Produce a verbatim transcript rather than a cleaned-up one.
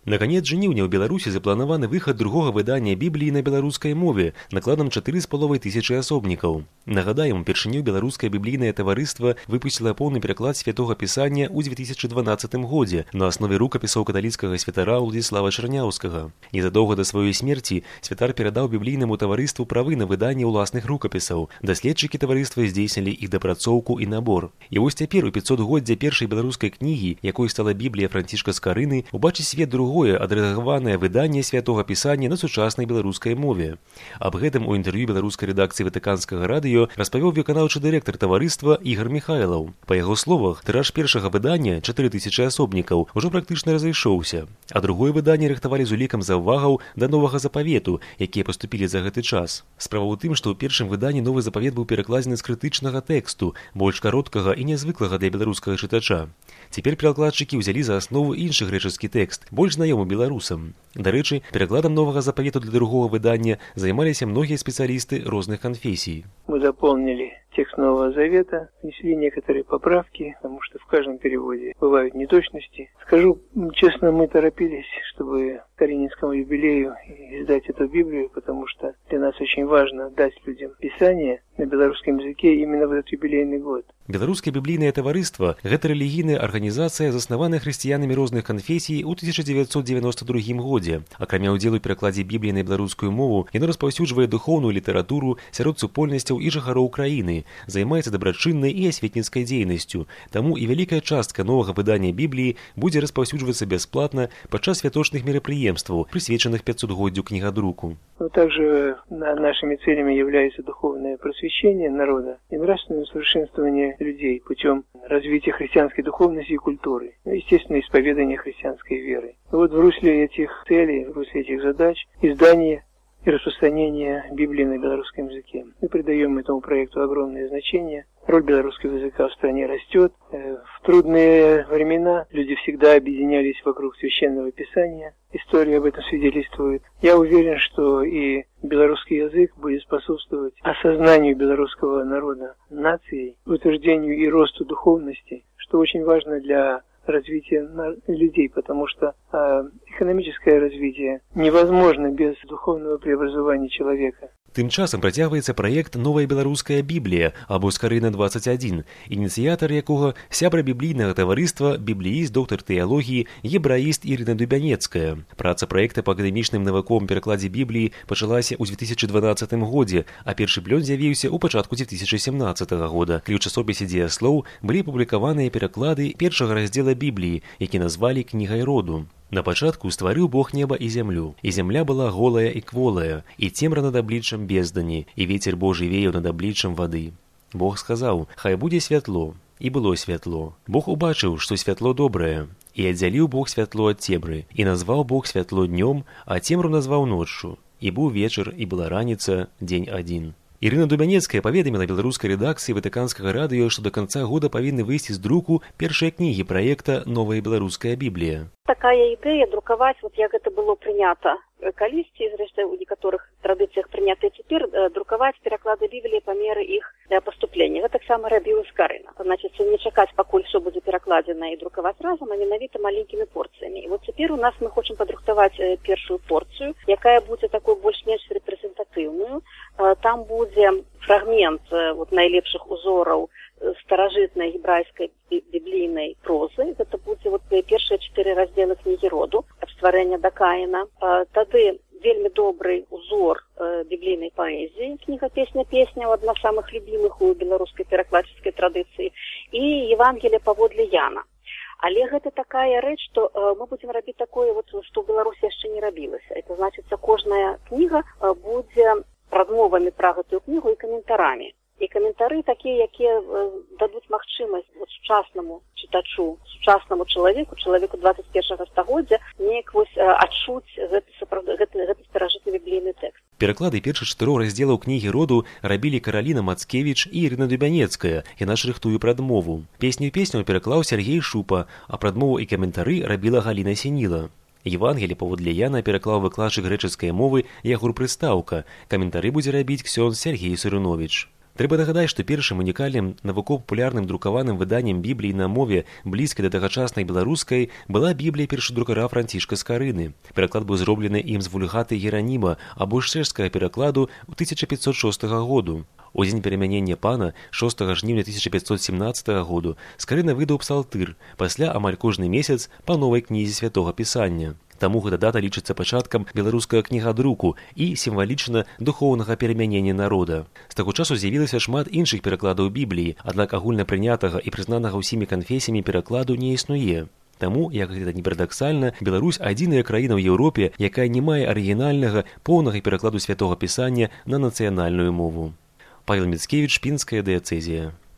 На конец жніўня ў Беларусі запланаваны выхад другога выдання Бібліі на беларускай мове накладам чатыры з паловай тысячы асобнікаў. Нагадаем, упершыню беларускае біблійнае таварыства выпусціла поўны пераклад святога пісання ў дзве тысячы дванаццатым годзе на аснове рукапісаў каталіцкага святара Уладзіслава Чарняўскага. Незадоўга да сваёй смерці святар перадаў біблійнаму таварыству правы на выданне ўласных рукапісаў. Даследчыкі таварыства здзейснілі іх дапрацоўку і набор. І вось цяпер у пяцсотгоддзе першай беларускай кнігі, якой стала Біблія Францішка Скарыны, убачыць свет другое адрэдагаванае выданне святога пісання на сучаснай беларускай мове. Аб гэтым у інтэрв'ю беларускай рэдакцыі Ватыканскага радыё распавёў выканаўчы дырэктар таварыства Ігар Міхайлаў. Па яго словах, тыраж першага выдання, чатыры тысячы асобнікаў, ужо практычна разышоўся, а другое выданне рыхтавалі з улікам заўвагаў да новага запавету, якія паступілі за гэты час. Справа ў тым, што ў першым выданні новы запавет быў перакладзены з крытычнага тэксту, больш кароткага і нязвыклага для беларускага чытача. Цяпер перакладчыкі ўзялі за аснову іншы грэчаскі тэкст, больш знаёмы беларусам. Дарэчы, перакладам новага запавету для другого выдання займаліся многія спецыялісты розных канфесій. Мы заполнили текст Нового Завета, внесли некоторые поправки, потому что в каждом переводе бывают неточности. Скажу честно, мы торопились, чтобы к Карининскому юбилею издать эту Библию, потому что для нас очень важно дать людям Писание на белорусском языке именно в этот юбилейный год. Беларускае біблійнае таварыства – гэта рэлігійная арганізацыя, заснаваная хрысціянамі розных канфесій у тысяча дзевяцьсот дзевяноста другім годзе. Акрамя ўдзелу ў перакладзе Бібліі на беларускую мову, яно распаўсюджвае духоўную літаратуру сярод супольнасцяў і жыхароў краіны, займаецца дабрачыннай і асветніцкай дзейнасцю. Таму і вялікая частка новага выдання Бібліі будзе распаўсюджвацца бясплатна падчас святочных мерапрыемстваў, прысвечаных пятсотгоддзю кнігадруку. Но также нашими целями является духовное просвещение народа и нравственное усовершенствование людей путем развития христианской духовности и культуры, ну, естественно, исповедания христианской веры. Вот в русле этих целей, в русле этих задач издание и распространение Библии на белорусском языке. Мы придаем этому проекту огромное значение. Роль белорусского языка в стране растет. В трудные времена люди всегда объединялись вокруг священного писания. История об этом свидетельствует. Я уверен, что и белорусский язык будет способствовать осознанию белорусского народа нацией, утверждению и росту духовности, что очень важно для развития людей, потому что э, экономическое развитие невозможно без духовного преобразования человека. Тым часам працягваецца праект «Новая беларуская Біблія» або «Скарына двадцать один», ініцыятар якога сябра біблійнага таварыства, біблііст, доктар тэалогіі, ебраіст Ірына Дубянецкая. Праца праекта па акадэмічным навуковым перакладзе Бібліі пачалася ў дзве тысячы дванаццатым годзе, а першы плён з'явіўся ў пачатку дзве тысячы сямнаццатага года, калі ў часопісе «Дзеяслоў» былі апублікаваныя пераклады першага раздзела Бібліі, які назвалі «Кнігай роду». На пачатку стварыў Бог неба і зямлю, і зямля была голая і кволая, і цемра над абліччам бездані, і вецер Божы веяў над абліччам вады. Бог сказаў: «Хай будзе святло», і было святло. Бог убачыў, што святло добрае, і аддзяліў Бог святло ад цемры, і назваў Бог святло днём, а цемру назваў ноччу. І быў вечар, і была раніца, дзень адзін. Ірына Дубянецкая паведаміла беларускай рэдакцыі Ватыканскага радыё, што да канца года павінны выйсці з друку першыя кнігі праекта «Новая беларуская Біблія». Такая ідэя друкаваць, вот як гэта было прынята калісьці, зрэшты, у некаторых традыцыях прынята цяпер, друкаваць пераклады Бібліі па меры іх паступлення. Гэта таксама рабіў Скарына. Значыць, не чакаць, пакуль усё будзе перакладзена і друкаваць разам, а менавіта маленькімі порцыямі. І вот цяпер у нас мы хочам падрыхтаваць першую порцыю, якая будзе такой больш-менш рэпрэзентатыўную. Там будзе фрагмент вот найлепшых узораў старажытнай гебрайскай біблійнай прозы. Гэта будзе вот першыя чатыры раздзелы кнігі роду ад стварэння да Каіна. Тады вельмі добрый узор біблійнай паэзіі, кніга «Песня-песня», адна з самых любімых у беларускай перакладчыцкай традыцыі, і Евангелие паводле Яна. Але гэта такая рэч, што мы будзем рабіць такое, вот, што ў Беларусі яшчэ не рабілася. Это значыцца, кожная кніга будзе прадмовамі пра гэтую кнігу і каментарамі. І каментары такія, якія дадуць магчымасць вот, сучаснаму чытачу, сучаснаму чалавеку, чалавеку двадцать першага стагоддзя, неяк вось адчуць гэты, гэты, гэты старажытны біблійны тэкст. Пераклады першых чатырох раздзелаў кнігі роду рабілі Караліна Мацкевіч і Ірына Дубянецкая. Яна ж рыхтуе прадмову. Песню-песню пераклаў Сергей Шупа, а прадмову і каментары рабіла Галіна Сініла. Евангелие паводле Яна пераклаў выкладчык грэчаскай мовы Ягур Прыстаўка. Каментары будзе рабіць ксёндз Сергей Сурыновіч. Трэба нагадаць, што першым унікальным навукова-папулярным друкаваным выданнем Бібліі на мове, блізкай да тагачаснай беларускай, была Біблія першадрукара Францішка Скарыны. Пераклад быў зроблены ім з вульгаты Гераніма або з чэшскага перакладу ў тысяча пятьсот шостага году. У дзень перамянення пана, шостага жніўня тысяча пятьсот семнаццатага году, Скарына выдаў псалтыр, пасля амаль кожны месяц па новай кнізе святога пісання. Таму гэта дата лічыцца пачаткам беларускага кнігадруку і сімвалічна духоўнага перамянення народа. З таго часу з'явілася шмат іншых перакладаў Бібліі, аднак агульнапрынятага і прызнанага ўсімі канфесіямі перакладу не існуе. Таму, як гэта не парадаксальна, Беларусь адзіная краіна ў Еўропе, якая не мае арыгінальнага, поўнага перакладу святога пісання на нацыянальную мову. Павел Міцкевіч, Пінская дыяцэзія.